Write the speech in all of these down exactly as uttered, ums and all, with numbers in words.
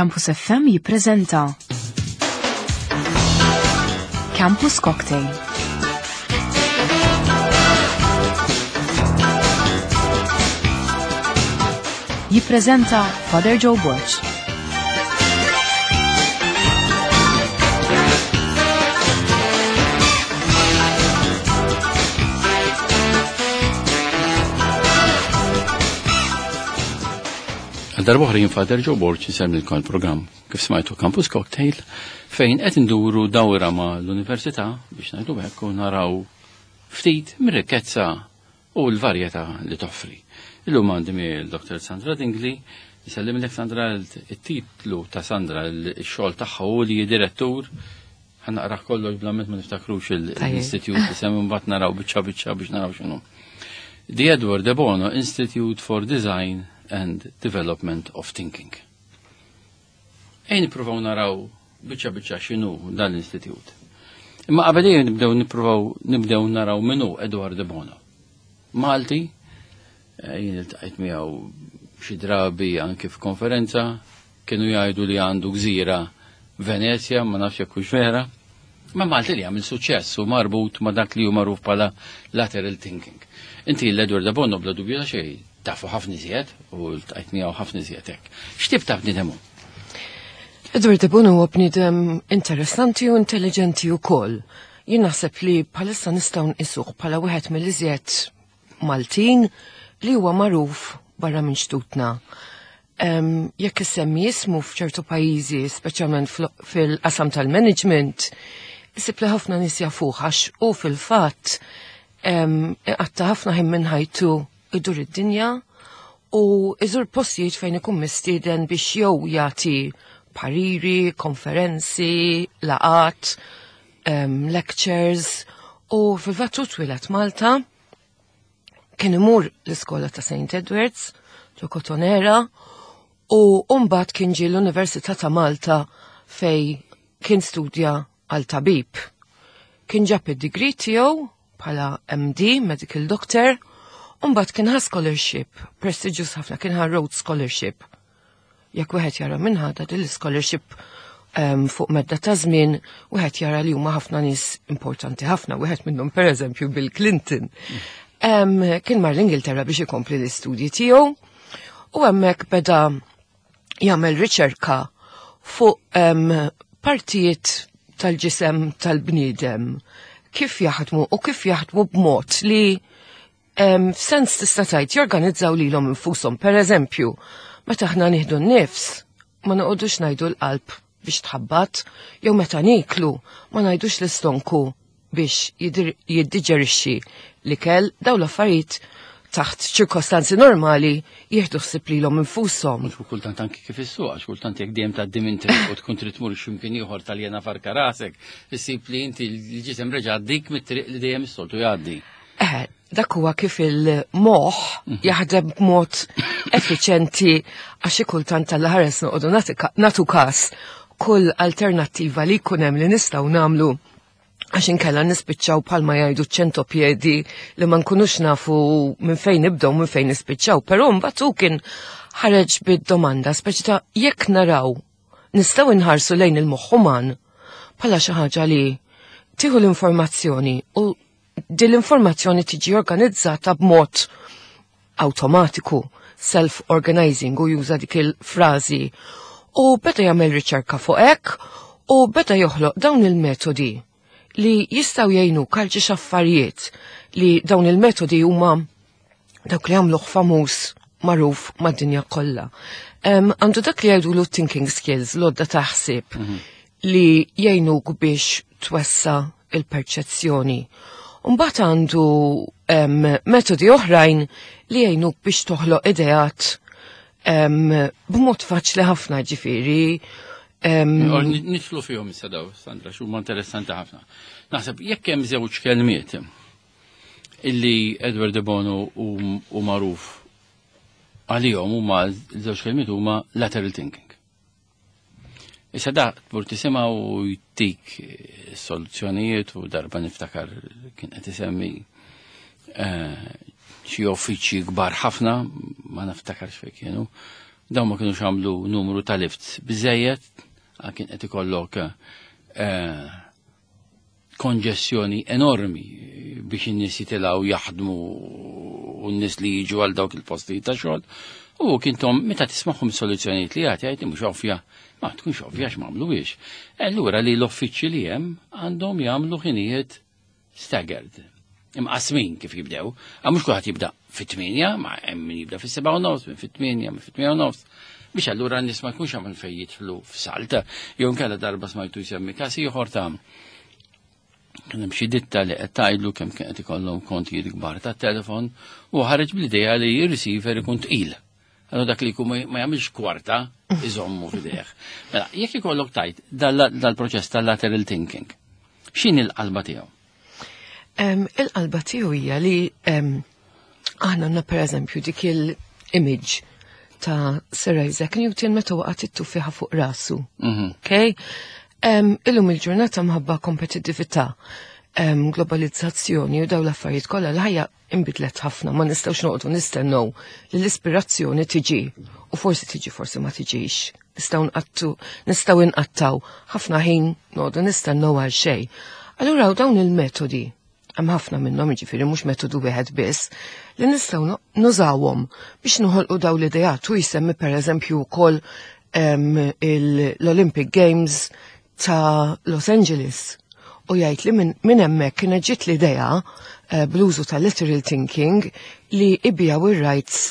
Campus F M jippreżenta Campus Cocktail. Jippreżenta Father Joe Borg. Għal darba jien Father Joe Borg insellmilkom il-programm kif smajtu Campus Cocktail, fejn qed induru dawra ma' l-università, biex ngħidu hekk, u naraw ftit mir-rikkezza u l-varjetà li toffri. Illum għandi miegħi l-Dottor Sandra Dingli. Nsellimlek, Sandra. Il-titlu ta' Sandra, il-xogħol tagħha u li direttur, ħa naqra kollox bla ma niftakrux l-istitut li semmi, mbagħad naraw biċċa biċċa biex naraw x'inhu. The Edward de Bono Institute for Design and Development of Thinking. Ejn nippruvaw naraw biċċa biċċa x'inhu dan l-istitut. Imma qabel nibdew nippruvaw nibdew naraw min hu Edward de Bono. Malti, eh, jien iltqajt miegħu xi drabi anke f'konferenza, kienu jgħidu li għandu gżira Venezja, ma nafx jekk hux vera. Ma Malti li għamil suċċess u marbut ma dak li hu magħruf bħala lateral thinking. Inti l-Edward de Bono bla dubju ta' xejn tafu ħafna iżjed u ltqajt miegħu ħafna iżjed hekk. X'tip ta' bniedem hu? Edward de Bono huwa bniedem interessanti u intelligenti wkoll. Jien naħseb li bħalissa nistgħu nqisuh bħala wieħed mill-iżjed Maltin li huwa magħruf barra minn xtutna. Um, jekk issemmi ismu f'ċertu pajjiżi, speċjalment fil-qasam tal-management, isib li ħafna nies jafuh għax u fil-fatt iqatta' ħafna ħin minn ħajtu idur id-dinja u iżur postijiet fejn ikun mistieden biex jew jagħti pariri, konferenzi, laqat, um, lectures, u fil-fatt hu twieled Malta, kien imur l-iskola ta' Saint Edwards, ġo Kotonera, u mbagħad kien ġie l-Università ta' Malta fej kien studja għal tabib. Kien ġab id-degree tiegħu bħala M D, Medical Doctor, u mbagħad kien ħa scholarship, prestigious ħafna, kien ħa Rhodes Scholarship. Jekk wieħed jara minn ħadha din l-scholarship um, fuq medda ta' żmien, wieħed jara li huma ħafna nies importanti ħafna, wieħed minnhom, pereżempju, Bill Clinton. Um, kien mar l-Ingilterra biex ikompli l-istudji tiegħu u hemmhekk beda jagħmel riċerka fuq um, partijiet tal-ġisem tal-bniedem, kif jaħdmu u kif jaħdmu b'mod li um, f'sens tista' tgħid jorganizzaw lilhom infushom. Per eżempju, meta aħna nieħdu n-nifs, ma noqogħdux ngħidu l-qalb biex tħabbat, jew meta niklu ma ngħidux l-istonku biex jiddiġerixxi l-ikel. Daw l-affarijiet taħt ċirkostanzi normali jieħdu ħsieb lilhom infushom. Mhux kultant anki kif issuq, għax kultant jekk dejjem tgħaddi minn triq u tkun trid tmur x'imkien ieħor taljena farka rasek, issib li inti l-ġisem reġa' għaddik mit-triq li dejjem is-soltu jgħaddi. Eh, dak huwa kif il-moħħ jaħdem b'mod effiċenti, għax kultant tal-ħares noqogħdu nagħtu każ kull alternattiva li jkun hemm li nistgħu nagħmlu, għax inkella nispiċċaw bħalma jgħidu ċentopiedi li ma nkunux nafu minn fejn nibdew, minn fejn nispiċċaw. Però mbagħad hu kien ħareġ bid-domanda speċi ta' jekk naraw nistgħu nħarsu lejn il-moħħ uman bħala xi ħaġa li tieħu l-informazzjoni u din l-informazzjoni tiġi organizzata b'mod automatiku, self-organizing, u juża dik il-frażi. U beda jagħmel riċerka fuq hekk u beda joħloq dawn il-metodi li jistgħu jgħinu għal xi affarijiet, li dawn il-metodi huma dawk li għamluh famuż, magħruf mad-dinja kollha. Għandu dak li jgħidu thinking skills, l-għodda taħsib mm -hmm. li jgħinuk biex twessa' il-perċezzjoni. Mbagħad għandu um, metodi oħrajn li jgħinuk biex toħloq ideat um, b'mod faċli ħafna, ġifieri. Um, Nidħlu fihom issa daw, Sandra, x'huma interessanti ħafna. Naħseb jekk hemm żewġ kelmiet illi Edward de Bono u magħruf għalihom, huma żewġ kelmiet, huma lateral thinking. Issa da tmur tisimgħu u jtik soluzzjonijiet, u darba niftakar kien qed isemmi eh, xi uffiċċji kbar ħafna, ma niftakarx fejn kienu, Dawn ma kienux għamlu numru ta' lifts biżejjed, kien qed ikollok eh, konġessjoni enormi biex in-nies jitilgħu jaħdmu u n-nies li jiġu għal dawk il-postijiet ta' xogħol. U kintom meta tismagħhom soluzzjonijiet li jagħti jgħid mhux ovvja, ma tkunx ovvja x'm'għamluhiex. Allura li l-uffiċċji li hemm għandhom jagħmlu ħinijiet staggered. Imqasmin kif jibdew. Għax mhux kulħadd jibda fit-tmienja, ma hemm min jibda fis-sebgħa u nofs, min fit-tmienja, min fit-tmienja u nofs. Biex allura n-nies ma jkunx għamil fejn jidħlu f'salt. Jew nkella darba smajtu jsemmi każ ieħor ta' kien hemm xi ditta li qed tgħidlu kemm kien qed ikollhom kontijiet kbar tat-telefon u ħareġ bl-idea li r-receiver ikun tqil. Allura dak li jkun ma jagħmilx kwarta iżommu f'idejh. Mela, jekk ikollok tajt dal-proċess tal-lateral thinking, x'inhi l-qalba tiegħu? Il-qalba tiegħu hija li aħna għandna pereżempju dik il-image ta' Sir Isaac Newton meta waqgħet it-tuffieħa fuq rasu. Mhm. Okay? Illum il-ġurnata minħabba kompetittività, globalizzazzjoni u daw l-affarijiet kollha l-ħajja inbidlet ħafna, ma nistgħux noqogħdu nistennew li l-ispirazzjoni tiġi u forsi tiġi forsi ma tiġix. Nistgħu nqattu, nistgħu nqattaw ħafna ħin noqogħdu nistennew għal xejn. Allura dawn il-metodi hemm ħafna minnhom jiġifieri mhux metodu wieħed biss li nistgħu nużawhom biex noħolqu daw l-ideat u jsemmi pereżempju wkoll l-Olympic Games ta' Los Angeles u jgħid li minn hemmhekk kienet ġiet l-idea eh, bl-użu ta' lateral thinking li ibigħu ir-rights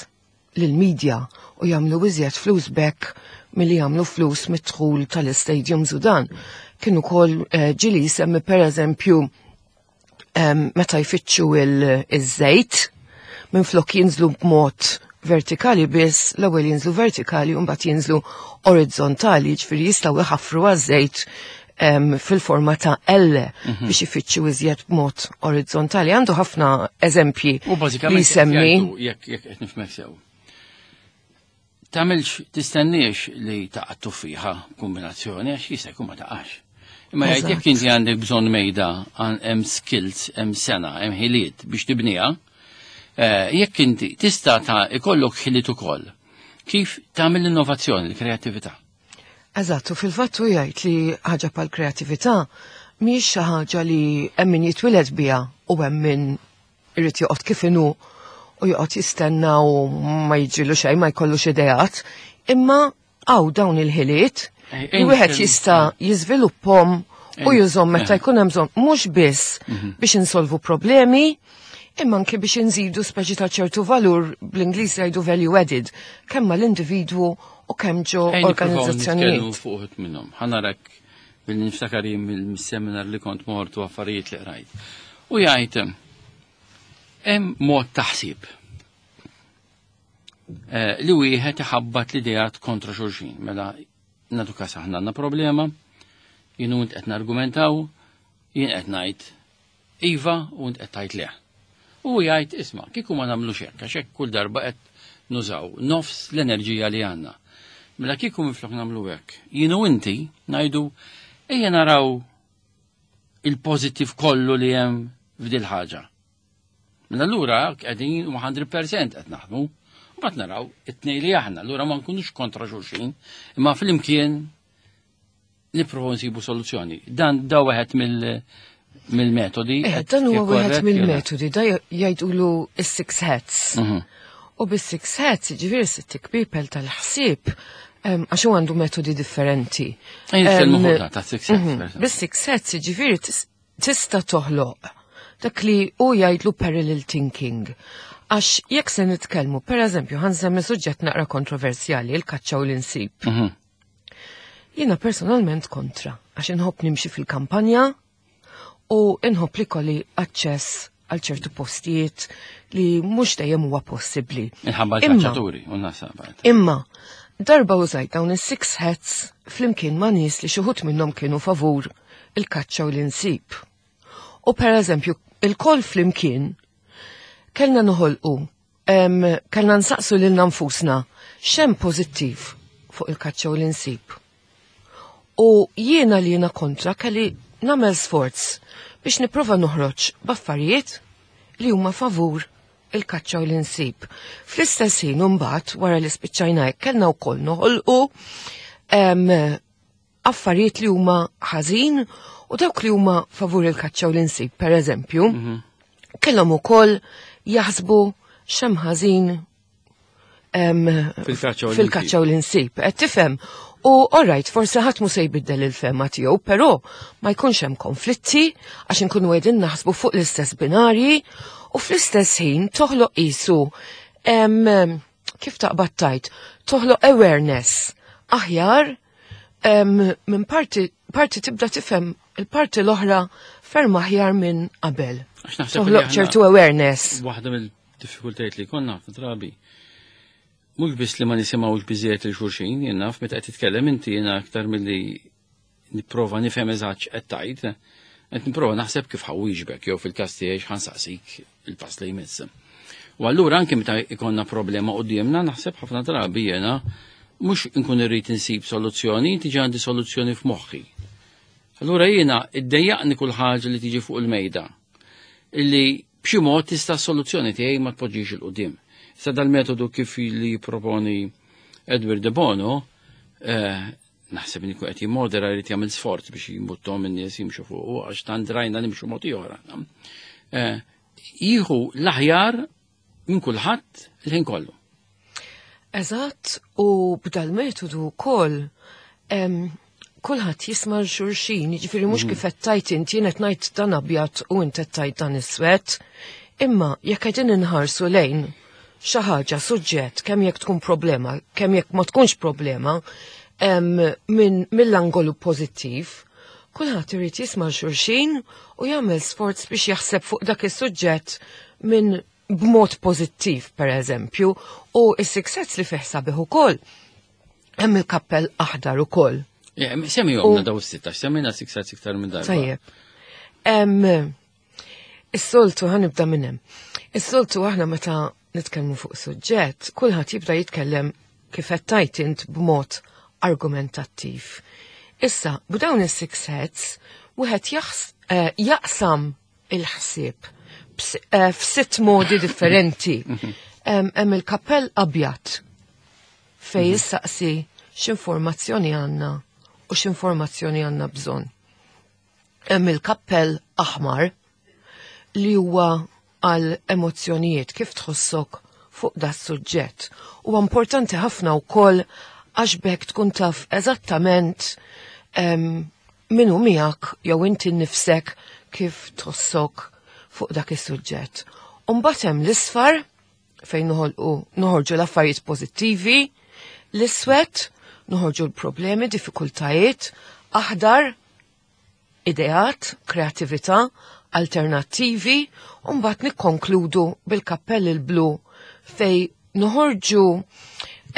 lill-media u jagħmlu iżjed flus bekk milli jagħmlu flus mid-dħul tal-istadiums u dan. Kienu kol eh, ġieli semmi pereżempju meta jfittxu il-żejt minn flok jinżlu b'mod vertikali biss, l-ewwel jinżlu vertikali u mbagħad jinżlu orizzontali, ġifieri jistgħu jħaffru għaż-żejt fil-forma ta' L mhm. biex ifittxu iżjed b'mod orizzontali. Għandu ħafna eżempji U bażikament li semmi. Jekk jekk qed nifhmek sew. Tagħmilx tistenniex li taqa' tuffiħa kombinazzjoni għax jista' jkun ma taqax. Imma jgħid jekk inti għandek bżonn mejda hemm skills, hemm sena, hemm ħiliet biex tibniha, eh, jekk inti tista' ta' ikollok ħiliet ukoll. Kif tagħmel l-innovazzjoni, l-kreattività? Eżatt, u fil-fatt hu jgħid li ħaġa bħal kreattività mhijiex xi ħaġa li hemm min jitwieled biha u hemm min irid joqgħod kif inhu u joqgħod jistenna u ma jiġrilu xejn ma jkollux ideat, imma hawn dawn il-ħiliet li wieħed jista' jiżviluppahom u jużhom meta jkun hemm bżonn mhux biss mhm. biex insolvu problemi, imma anke biex inżidu speċi ta' ċertu valur bl-Ingliż jgħidu value added, kemm mal-individwu u kemm ġo organizzazzjonijiet. Fuq minnhom. Ħa narak billi niftakar mill-seminar li kont mort u affarijiet li qrajt. U jgħid hemm mod taħsib eh, li wieħed iħabbat l-ideat kontra xulxin. Mela nagħtu każ aħna għandna problema, jien u qed nargumentaw, jien qed ngħid iva u int qed tgħid le. U jgħid isma' kieku ma nagħmlux hekk għax hekk kull darba qed nużaw nofs l-enerġija li għandna. Mela kieku minflok nagħmlu hekk. Jien u inti ngħidu ejja naraw il-pożittiv kollu li hemm f'dil ħaġa. Mela allura qegħdin mija fil-mija qed naħdmu. Mbagħad naraw it-tnejn li aħna, allura ma nkunux kontra xulxin, imma flimkien nipprovaw nsibu soluzzjoni. Dan da wieħed mill mill-metodi. Eh, dan huwa wieħed mill-metodi, da jgħidulu is-six hats. Mhm. U bis-six hats, ġifieri sitt people tal-ħsieb, għax hu għandu metodi differenti. Nitkellmu fuq ta' six hats. Mhm. Bis-six hats, ġifieri tista' toħloq dak li hu jgħidlu parallel thinking. Għax jekk se nitkellmu, per eżempju, ħa nsemmi suġġett naqra kontroversjali, il-kaċċa u l-insib. Mhm. Jiena personalment kontra, għax inħobb nimxi fil-kampanja u inħobb li kolli aċċess għal ċertu postijiet li mhux dejjem huwa possibbli. Inħabba Imma- l-kaċċaturi, u nasa Imma, darba użajt dawn is-six hats flimkien ma' nies li xi wħud minnhom kienu favur il-kaċċa u l-insib. U per eżempju, il-koll flimkien kellna noħolqu, em, kellna nsaqsu lilna nfusna x'hemm pożittiv fuq il-kaċċa u l-insib. U jiena li jiena kontra kelli nagħmel sforz biex nipprova noħroġ b'affarijiet li huma favur il-kaċċa u l-insib. Fl-istess ħin imbagħad wara li spiċċajna hekk kellna wkoll noħolqu em, affarijiet li huma ħażin u dawk li huma favur il-kaċċa u l-insib, per eżempju, kellhom ukoll jaħsbu x'hemm ħażin em, Fil-kaċċa u l-insib. fil-kaċċa u l-insib. Qed tifhem? U alright, forsi ħadd mhu se jbiddel il-fehma tiegħu, però ma jkunx hemm konflitti għax inkunu qegħdin naħsbu fuq l-istess binarji u fl-istess ħin toħloq qisu em, kif taqbad tajt, toħloq awareness aħjar em, minn parti, parti tibda tifhem il-parti l-oħra ferm aħjar minn qabel. Għax naħseb li Toħloq aħna- ċertu awareness. Waħda mill-diffikultajiet li konna ħafna drabi. Mhux biss li ma nisimgħux biżejjed lil xulxin, jien naf meta qed titkellem inti jiena aktar milli nipprova nifhem eżatt x'qed tgħid, qed nipprova naħseb kif ħa nwieġbek jew fil-każ tiegħi x'ħa nsaqsik il-pass li jmiss. U allura anke meta ikonna problema qudiemna naħseb ħafna drabi jiena mhux inkun irrid insib soluzzjoni, tiġi għandi soluzzjoni f'moħħi. Allura jiena iddejjaqni kull ħaġa li tiġi fuq il-mejda illi b'xi mod tista' soluzzjoni tiegħi ma tpoġġix 'il quddiem. Issa dal-metodu kif li jipproponi Edward de Bono, eh, naħseb li qed jimmodera jrid jagħmel sforz biex jimbuttom in-nies jimxu fuq għax tant rajna nimxu mod ieħor. Eh, Jieħu l-aħjar minn kulħadd il-ħin kollu. Eżatt, u b'dal metodu wkoll em, kulħadd jisma' xulxin, jiġifieri mhux kif qed tajt inti jien qed ngħid dan abjad u inti qed tajt dan iswed, imma jekk qegħdin inħarsu lejn xi ħaġa suġġett kemm jekk tkun problema, kemm jekk ma tkunx problema, em, minn mill-angolu pożittiv, kulħadd irid jisma' xulxin u jagħmel sforz biex jaħseb fuq dak is-suġġett minn b'mod pożittiv, per eżempju, u is-six hats li fih sabiħ ukoll. Hemm il-kappell aħdar ukoll. Semmihomlna daw is-sitta, semmejna six hats iktar minn darba. Tajjeb. Em, Is-soltu ħa nibda minn hemm. Is-soltu aħna meta nitkellmu fuq suġġett, kulħadd jibda jitkellem kif qed tajt int b'mod argumentattiv. Issa, b'dawn is-six hats, wieħed jaħs- eh, jaqsam il-ħsieb bs- eh, f'sitt modi differenti. Em, Hemm il-kappell abjad fej jissaqsi x'informazzjoni għandna u x'informazzjoni għandna bżonn. Hemm il-kappell aħmar li huwa għal emozzjonijiet kif tħossok fuq da suġġett. Huwa importanti ħafna wkoll għax b'hekk tkun taf eżattament em, min hu miegħek jew inti nnifsek kif tħossok fuq dak is-suġġett. Umbagħad hemm l-isfar fejn noħolqu noħorġu l-affarijiet pożittivi, l-iswed noħorġu l-problemi, diffikultajiet, aħdar ideat, kreatività, alternattivi, u mbagħad nikkonkludu bil-kappell il-blu fej noħorġu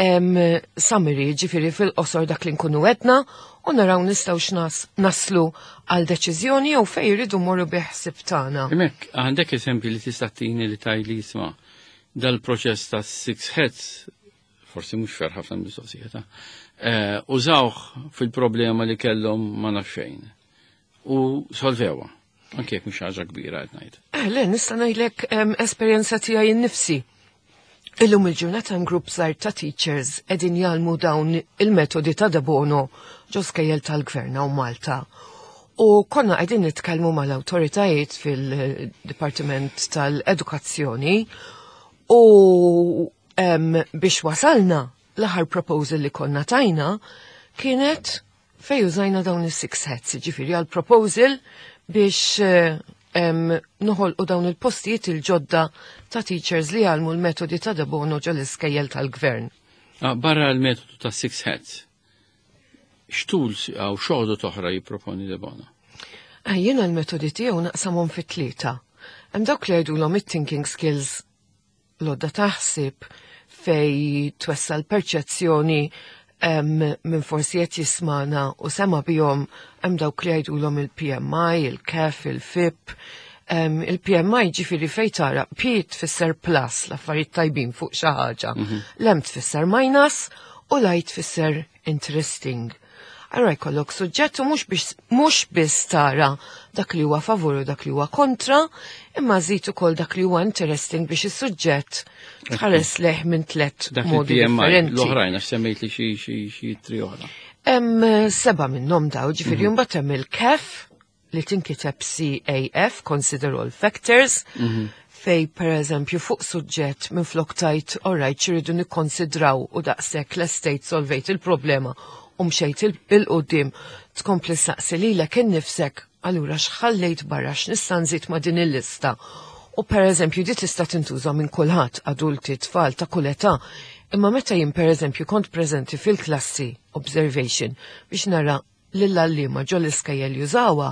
em, summary, ġifieri fil-qosor dak li nkunu għedna, u naraw nistgħu x'nas naslu għal deċiżjoni jew fej jridu morru bil-ħsieb tagħna. Hemmhekk, għandek eżempju li tista' tini li tgħidli jisma' dal-proċess ta' six hats, forsi mhux fer ħafna mistoqsija ta' eh, użawh fil-problema li kellhom ma naf xejn. U solvewha. Anke jekk mhux ħaġa kbira qed ngħid. Eh, le, nista' ngħidlek em, esperjenza tiegħi nnifsi. Illum il-ġurnata hemm grupp żgħir ta' teachers qegħdin jgħallmu dawn il-metodi ta' De Bono ġo skejjel tal-gvern hawn Malta. U konna qegħdin nitkellmu mal-awtoritajiet fil-Dipartiment tal-Edukazzjoni u em, biex wasalna l-aħħar proposal li konna tajna kienet fej użajna dawn is-six hats, ġifieri għal proposal biex eh, em, noħolqu dawn il-postijiet il-ġodda ta' teachers li jgħallmu l-metodi ta' De Bono ġol iskejjel tal-gvern. Ah, Barra l-metodu ta' six hats, x'tools għaw xogħdu oħra jipproponi De Bono? Ah, Jiena l-metodi tiegħu naqsamhom fit tlieta. Hemm dawk li jgħidulhom it-thinking skills l-għodda taħsib fej twessa' l-perċezzjoni em, minn forsi qed jismana u sema bihom hemm dawk li jgħidulhom il-PMI, il-KEF, il-FIP. Em, Il-PMI ġifieri fej tara P tfisser plus l-affarijiet tajbin fuq xi ħaġa. L-M tfisser minus u l-I tfisser interesting. Allura jkollok suġġett u mhux biex mhux biss tara dak li huwa favur u dak li huwa kontra, imma żid ukoll dak li huwa interesting biex is-suġġett tħares lejh minn tliet Dak modi il-P M I, differenti. L-oħrajn, għax semmejt li xi xi xi tri oħra. Hemm seba' minnhom daw, ġifieri mbagħad hemm il-C A F li tinkiteb C A F, Consider All Factors, fej per eżempju fuq suġġett minn flok tajt, alright, x'irridu nikkonsidraw u daqshekk l-estate solvejt il-problema u mxejt 'il quddiem, tkompli saqsi lilek innifsek, allura x'ħallejt barra, x'nista' nżid ma' din il-lista. U per eżempju di tista' tintuża minn kulħadd, adulti, tfal ta' kull età. Imma meta jien per eżempju kont preżenti fil-klassi observation biex nara lill-għalliema ġo l-iskejjel jużawha,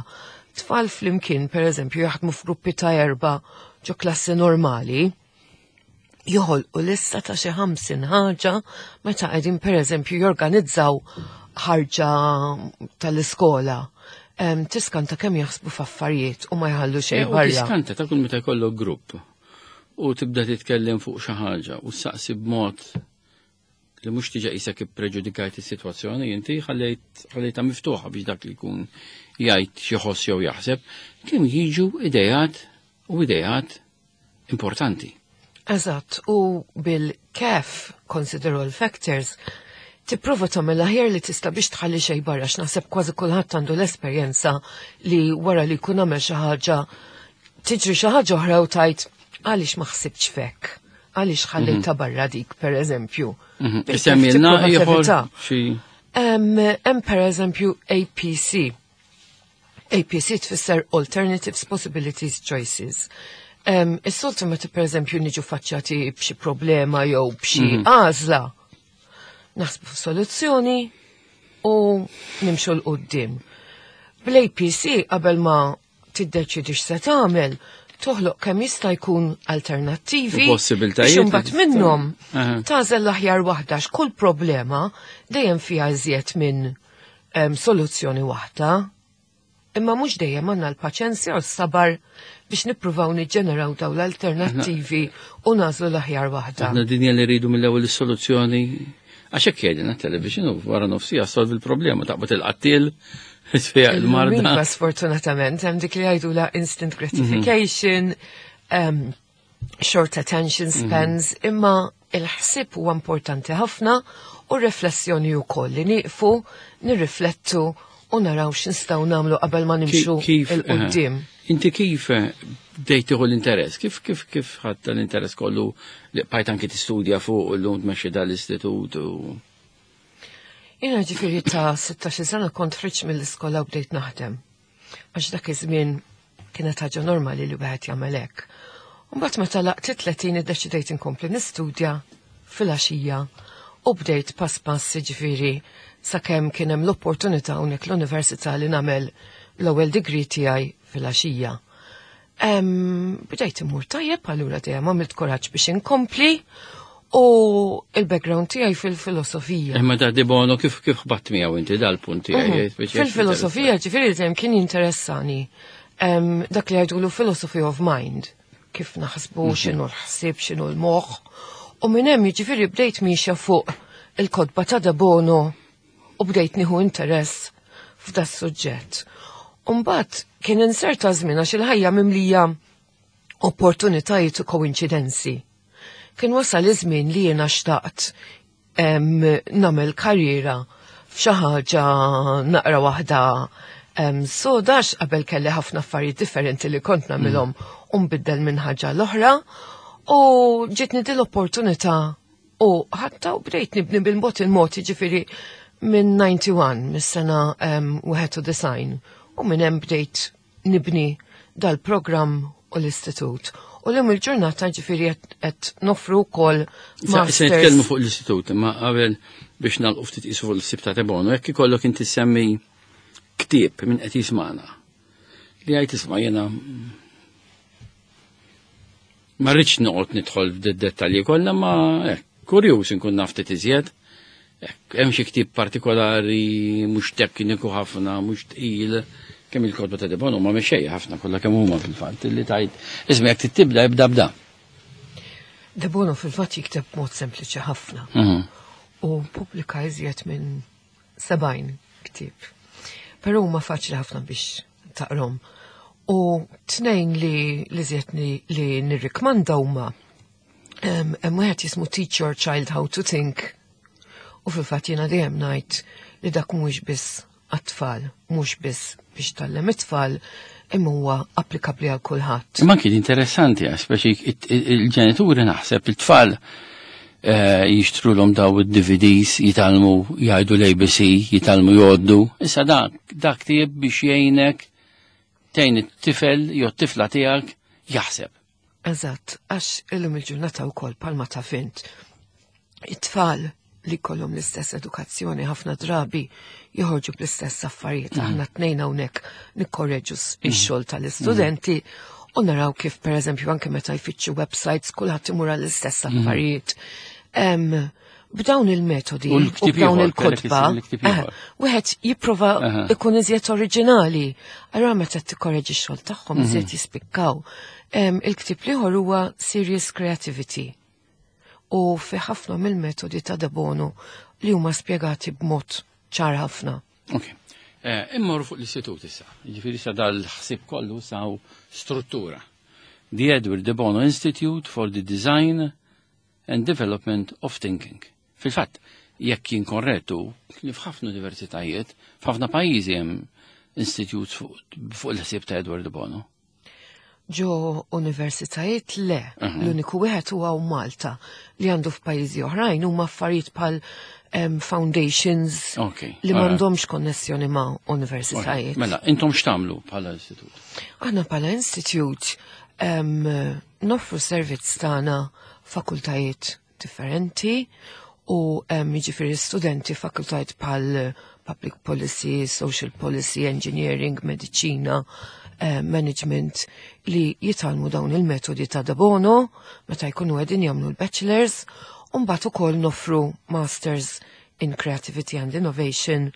tfal flimkien per eżempju jaħdmu f'gruppi ta' erba' ġo klassi normali, joħolqu lista ta' xi ħamsin ħaġa meta qegħdin per eżempju jorganizzaw ħarġa tal-iskola. Em, Tiskanta kemm jaħsbu f'affarijiet u ma jħallu xejn U barra. Tiskanta ta' kull meta jkollok grupp u tibda titkellem fuq xi ħaġa u saqsi b'mod li mhux tiġa qisek ippreġudikajt is-sitwazzjoni, inti ħallejt ħallejtha miftuħa biex dak li jkun jgħid xi ħoss jew jaħseb, kemm jiġu idejat u idejat importanti. Eżatt, u bil-C A F, Consider All Factors, tipprova tagħmel aħjar li tista' biex tħalli xejn barra, x'naħseb kważi kulħadd għandu l-esperjenza li wara li jkun għamel xi ħaġa tiġri xi ħaġa oħra u tajt għaliex ma ħsibtx fek, għaliex ħallejta barra dik, per eżempju. Bil-C A F Semmilna tipprova ieħor tevita. xi Hemm hemm per eżempju A P C. A P C tfisser Alternatives, Possibilities, Choices. Um, Is-soltu meta per eżempju niġu faċċati b'xi problema jew b'xi għażla, naħsbu f'soluzzjoni u nimxu 'l quddiem. Bl-A P C qabel ma tiddeċidi x'se tagħmel, toħloq kemm jista' jkun alternattivi U possibiltajiet biex imbagħad li minnhom Aha. tagħżel l-aħjar waħda, x'kull problema dejjem fiha iżjed minn em, soluzzjoni waħda. Imma mhux dejjem għandna l-paċenzja u s-sabar biex nippruvaw niġġeneraw daw l-alternattivi u nagħżlu l-aħjar waħda. Aħna dinja li rridu mill-ewwel is-soluzzjoni, għax hekk jgħidilna television u wara nofsija solvi l-problema, taqbad il-qattil, tfejjaq il-marda. Iva, sfortunatament, hemm dik li jgħidula instant gratification, um, short attention spans, imma il-ħsib huwa importanti ħafna u riflessjoni wkoll li nieqfu, nirriflettu u naraw x'nistgħu nagħmlu qabel ma nimxu Kif 'il quddiem. eh, Inti kif eh, bdejt tieħu l-interess? Kif kif kif ħadd l-interess kollu li bqajt anki tistudja fuq u llum tmexxi dal-istitut u Jiena ġifieri ta' sittax-il sena kont ħriġt mill-iskola u bdejt naħdem. Għax dak iż-żmien kienet ħaġa normali li wieħed jagħmel hekk. Mbagħad meta lħaqt tletin iddeċidejt inkompli nistudja filgħaxija u bdejt pass pass, ġifieri sakemm kien hemm l-opportunità hawnhekk l-università li nagħmel l-ewwel degree tiegħi filgħaxija. Em, Bdejt imur tajjeb, allura dejjem għamilt kuraġġ biex inkompli u il-background tiegħi fil-filosofija. Imma da De Bono kif kif ħbatt miegħu inti dal-punt tiegħi? Mhm. Speċi Fil-filosofija, ġifieri dejjem kien jinteressani em, dak li jgħidulu philosophy of mind, kif naħsbu, x'inhu l-ħsieb, x'inhu l-moħħ. U minn hemm jiġifieri bdejt miexja fuq il-kotba ta' De Bono u bdejt nieħu interess f'da suġġett. Umbagħad kien inserta żmien għax il-ħajja mimlija opportunitajiet u koinċidenzi. Kien wasal iż-żmien li jiena xtaqt em, nagħmel karriera f'xi ħaġa naqra waħda em, sodax qabel kelli ħafna affarijiet differenti li kont nagħmilhom u nbiddel minn ħaġa l-oħra u ġietni din l-opportunità u ħadtha u bdejt nibni bil-mod il-mod, ġifieri minn disgħa u disgħin, mis-sena um, wieħed u disgħin, u minn hemm bdejt nibni dal-programm u l-istitut. U l-lum il-ġurnata ġifieri qed noffru wkoll Se se masters. nitkellmu fuq l-istitut, imma qabel biex nagħlqu ftit qisu fuq l-ħsieb ta' De Bono, jekk ikollok inti semmi ktieb minn qed jismana. Li għajt isma' jiena ma rridx noqgħod nidħol f'dettalji kollha, ma hekk kurjuż inkun naf ftit iżjed. Hekk, hemm xi ktieb partikolari mhux tekniku ħafna, mhux tqil, kemm il-kotba ta' De Bono ma mexejja ħafna kollha kemm huma fil-fatt li tajt. Isma' jekk tibda ibda bda. De Bono fil-fatt jikteb mod sempliċi ħafna Mhm. u pubblika iżjed minn sebgħin Ktieb. Però huma faċli ħafna biex taqrom. U tnejn li li żjed li nirrikmanda huma hemm wieħed jismu Teach Your Child How to Think. U fil-fatt jiena dejjem ngħid li dak mhuwiex biss għat-tfal, mhux biss biex tgħallem it-tfal, imma huwa applikabbli għal kulħadd. Imma kien interessanti, għax speċi il-ġenituri naħseb il-tfal eh, jixtrulhom daw id-D V Ds, jitgħallmu jgħidu l-A B C, jitgħallmu jgħoddu. Issa dak dak tieb biex jgħinek tgħin it-tifel jew t-tifla tiegħek jaħseb. Eżatt, għax illum il-ġurnata wkoll, palma taf int. It-tfal li kollhom l-istess edukazzjoni ħafna drabi joħorġu bl-istess affarijiet. Aħna tnejn hawnhekk nikkorreġu ix-xogħol tal-istudenti u naraw kif, pereżempju, anke meta jfittxu websites, kulħadd imur għall-istess affarijiet. Em, B'dawn il-metodi U u l-ktieb b'dawn ieħor, kellek il-kotba, il-ktieb ieħor. eh, wieħed jipprova Aha. ikun iżjed oriġinali. Allura meta tikkorreġi x-xogħol tagħhom iżjed jispikkaw. Em, Il-ktieb l-ieħor huwa Serious Creativity. U fi ħafna mill-metodi ta' De Bono li huma spjegati b'mod ċar ħafna. Ok. Eh, Immorru fuq l-istitut issa. Ġifieri sa dal-ħsib kollu saw struttura. The Edward de Bono Institute for the Design and Development of Thinking. Fil-fatt, jekk jien korrettu, li f'ħafna universitajiet, f'ħafna pajjiżi hemm institutes fuq fuq il-ħsieb ta' Edward de Bono. Ġo universitajiet le, l-uniku wieħed huwa Malta. Li għandu f'pajjiżi oħrajn huma affarijiet bħal em, foundations Ok, li alright. m'għandhomx konnessjoni ma' universitajiet. Mela, intom x'tagħmlu bħala istitut? Aħna bħala institute um, noffru servizz tagħna fakultajiet differenti u um, jiġifieri studenti fakultajiet bħal public policy, social policy, engineering, mediċina, eh, management li jitgħallmu dawn il-metodi ta' De Bono meta jkunu qegħdin jagħmlu l-bachelors, u mbagħad ukoll noffru masters in creativity and innovation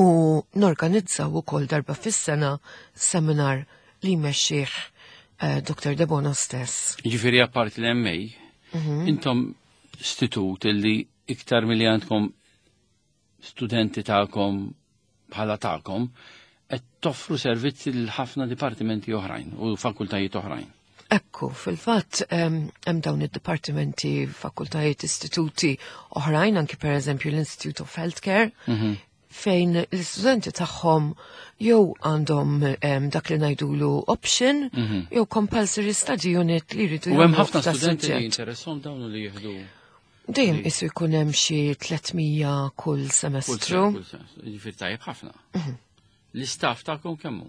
u norganizzaw ukoll darba fis-sena seminar li jmexxih eh, Doktor De Bono stess. Ġifieri apparti l-M A, intom istitut illi iktar milli għandkom studenti tagħkom bħala tagħkom, qed toffru servizzi lil ħafna dipartimenti oħrajn u fakultajiet oħrajn. Ekku, fil-fatt em, hemm dawn id-dipartimenti, fakultajiet, istituti oħrajn, anki per eżempju l-Institute of Healthcare, fejn l-istudenti tagħhom jew għandhom em, dak li ngħidulu option, jew compulsory study unit li jridu U hemm jagħmlu ħafna f'da studenti li suġġett. jinteressom dawn li jieħdu Dejjem isu jkun hemm xi tliet mija kull kull semestru. sena, kull semestru. Ġifieri tajjeb ħafna. L-istaff tagħkom kemm hu?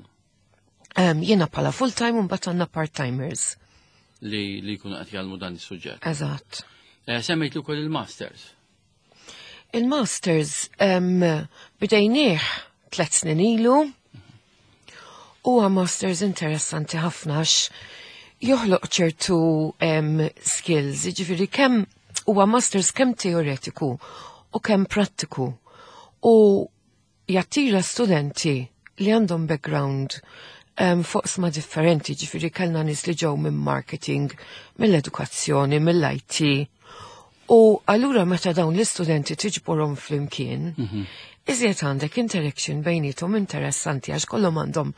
Em, Jiena bħala full-time u mbagħad għandna part-timers. li li jkunu qed jgħallmu dan is-suġġett. Eżatt. Eh, Semmejt ukoll il-masters. Il-masters um, bdejnieh tlet snin ilu. Huwa masters interessanti ħafna għax joħloq ċertu um, skills, jiġifieri kemm huwa masters kemm teoretiku u kemm prattiku u jattira studenti li għandhom background um, f'oqsma differenti, ġifieri kellna nies li ġew minn marketing, mill-edukazzjoni, mill-I T. U allura meta dawn l-istudenti tiġborhom flimkien, iżjed għandek interaction bejnietom interessanti għax kollhom għandhom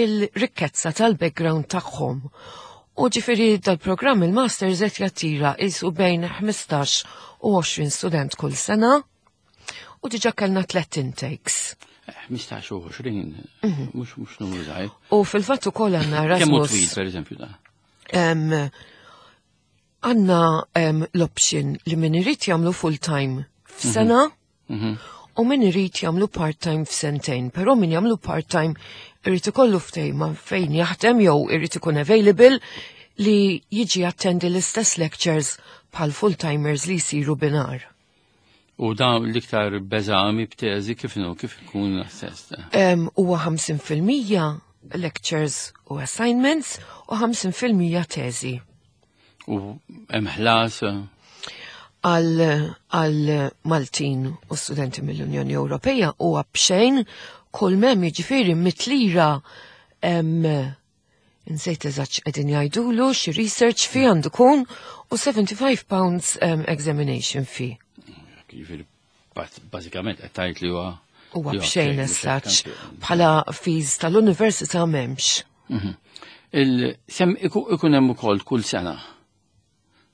il-rikkezza tal-background tagħhom. U ġifieri dal-programm il-Masters qed jattira isu bejn ħmistax u għoxrin student kull sena u diġa kellna tlet intakes. Eh, ħmistax u għoxrin, mhux mhux numru żgħir. U fil-fatt ukoll għandna Kemm hu Erasmus. twil, pereżempju, da? Em, Għandna em, l-option li min irid jagħmlu full-time f'sena u min irid jagħmlu part-time f'sentejn, però min jagħmlu part-time irid ikollu ftehim fejn jaħdem jew irid ikun available li jiġi attendi l-istess lectures bħal full-timers li jsiru binhar. U dan l-iktar b'eżami, b'teżi, kif inhu, kif ikun assessed? Em, Huwa ħamsin fil-mija lectures u assignments u ħamsin fil-mija teżi. U hemm ħlas? għal għal Maltin u studenti mill-Unjoni Ewropea u b'xejn. Kull m'hemm, jiġifieri mitt lira, em, insejt eżatt qegħdin jgħidulu, xi research fee għandu kun u seventy-five pounds um, examination fee. Ġifieri bażikament qed tgħid li huwa Huwa b'xejn as such, bħala fees tal-università m'hemmx. Mhm. Il-sem ikun hemm ukoll kull sena.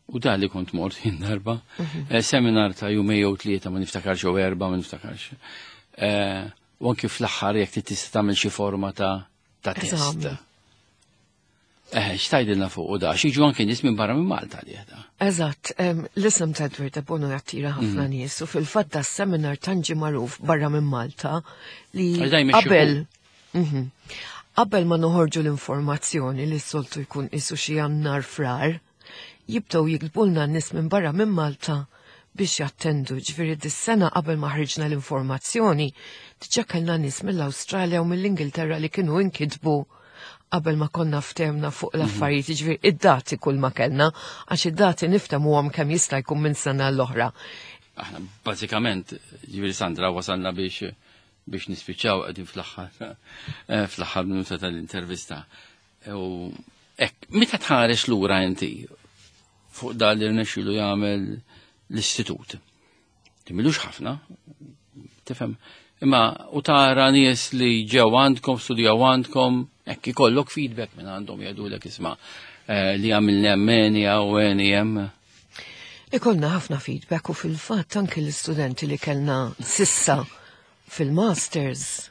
U da li kont mort jien darba, mhm. eh, seminar ta' jumej jew tlieta, ma niftakarx, jew erba, ma niftakarx. Eh, u anki fl-aħħar jekk tista' tagħmel xi forma ta' ta' test. Eh, x'tgħidilna fuq u da, jiġu anki nies minn barra minn Malta li da. Eżatt, l-isem ta' Edward de Bono jattira ħafna mhm. nies u fil-fatt da seminar tant ġie magħruf barra minn Malta li qabel mhm. qabel ma noħorġu l-informazzjoni li s-soltu jkun isu xi Jannar, Frar, jibdew jiktbulna n-nies minn barra minn Malta biex jattendu. Ġifieri dis-sena qabel ma ħriġna l-informazzjoni, diġà kellna nies mill-Awstralja u mill-Ingilterra li kienu inkitbu qabel ma konna ftehemna fuq l-affarijiet, ġifieri id-dati kull ma kellna, għax id-dati niftehmuhom kemm jista' jkun minn sena l-oħra. Aħna bażikament, ġifieri Sandra, wasalna biex biex nispiċċaw, qegħdin fl-aħħar eh, fl-aħħar minuta tal-intervista. U hekk, meta tħares lura inti fuq dan li rnexxielu jagħmel l-istitut. Timilux ħafna, tifhem, imma u tara nies li ġew għandkom, studjaw għandkom, hekk ikollok feedback minn għandhom jgħidulek, isma' eh, li għamilna hemmeni u għeni hemm. Ikollna ħafna feedback u fil-fatt anke l-istudenti li kellna s'issa fil-masters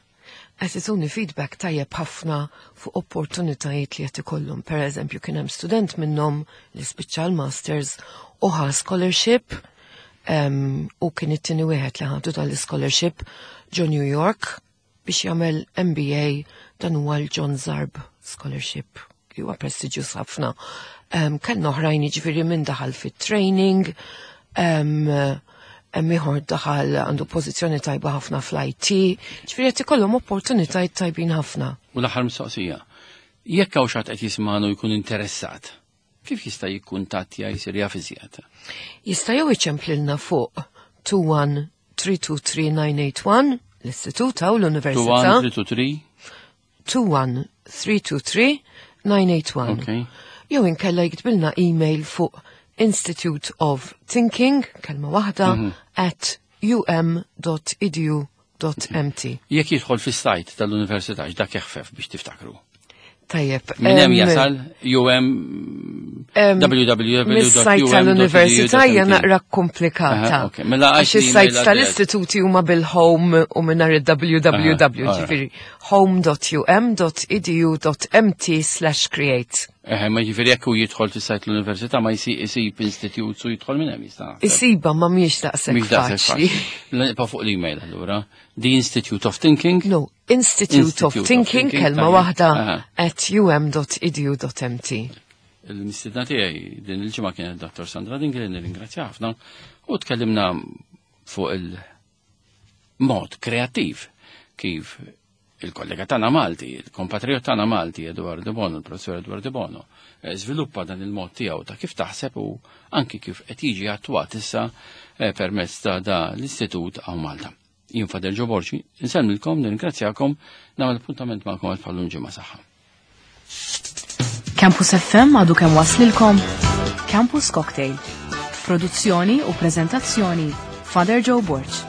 qed ituni feedback tajjeb ħafna fuq opportunitajiet li qed ikollhom. Per eżempju, kien hemm student minnhom li spiċċa l-masters u ħa scholarship um, u kien it-tieni wieħed li ħadu tal-scholarship ġo New York biex jagħmel M B A. Dan huwa l-John Zarb Scholarship li huwa prestiġjuż ħafna. Um, kellna oħrajn, jiġifieri minn daħal fit-training, um, hemm ieħor daħal għandu pożizzjoni tajba ħafna fl-I T, ġifieri qed ikollhom opportunitajiet tajbin ħafna. U l-aħħar mistoqsija. Jekk hawn xi ħadd qed jismagħna jkun interessat, kif jista' jikkuntattja, jsir jaf iżjed? Jista' jew iċemplilna fuq two one three two three nine eight one, l-istitut u l-università. two one three two three two one three two three nine eight one. Okay. Jew inkella jiktbilna email fuq Institute of Thinking, kelma waħda, at um dot edu dot M T. Jekk jidħol fis-sajt tal-università, dak jeħfef biex tiftakru. Tajjeb. Minn hemm em, jasal um em, W W W dot U M dot Mis-sajt tal-università hija naqra komplikata. Aha, ok. Mela għax għax is-sajt l-email tal-istituti huma bil-home u mingħajr il-W W W, Aha, alright. ġifieri home dot U M dot edu dot M T slash create. Eħe, ma ġifieri jekk hu jidħol fis-sajt l-università ma jsib isib institute u jidħol minn hemm jista'. Isiba ma mhijiex daqshekk Mhix daqshekk faċli. faċli. Nibqa' fuq l-email allura. The Institute of Thinking. No, Institute of Institute of Thinking, Thinking, kelma tajjeb. waħda, Aha. at um dot edu dot M T. Il-mistidna tiegħi din il-ġimgħa kienet Dottor Sandra Dingli, nirringrazzja ħafna, u tkellimna fuq il-mod kreattiv kif il-kollega tagħna Malti, il-kompatriot tagħna Malti Edward de Bono, il-professor Edward de Bono, eh, żviluppa dan il-mod tiegħu ta' kif taħseb u anki kif qed jiġi attwat issa eh, permezz ta' da l-istitut hawn Malta. Jien Father Joe Borg, insellmilkom, nirringrazzjakom, nagħmel appuntament magħkom għal bħal-lum ġimgħa. Saħħa. Campus F M għadu kemm waslilkom Campus Cocktail. Produzzjoni u prezentazzjoni Father Joe Borg.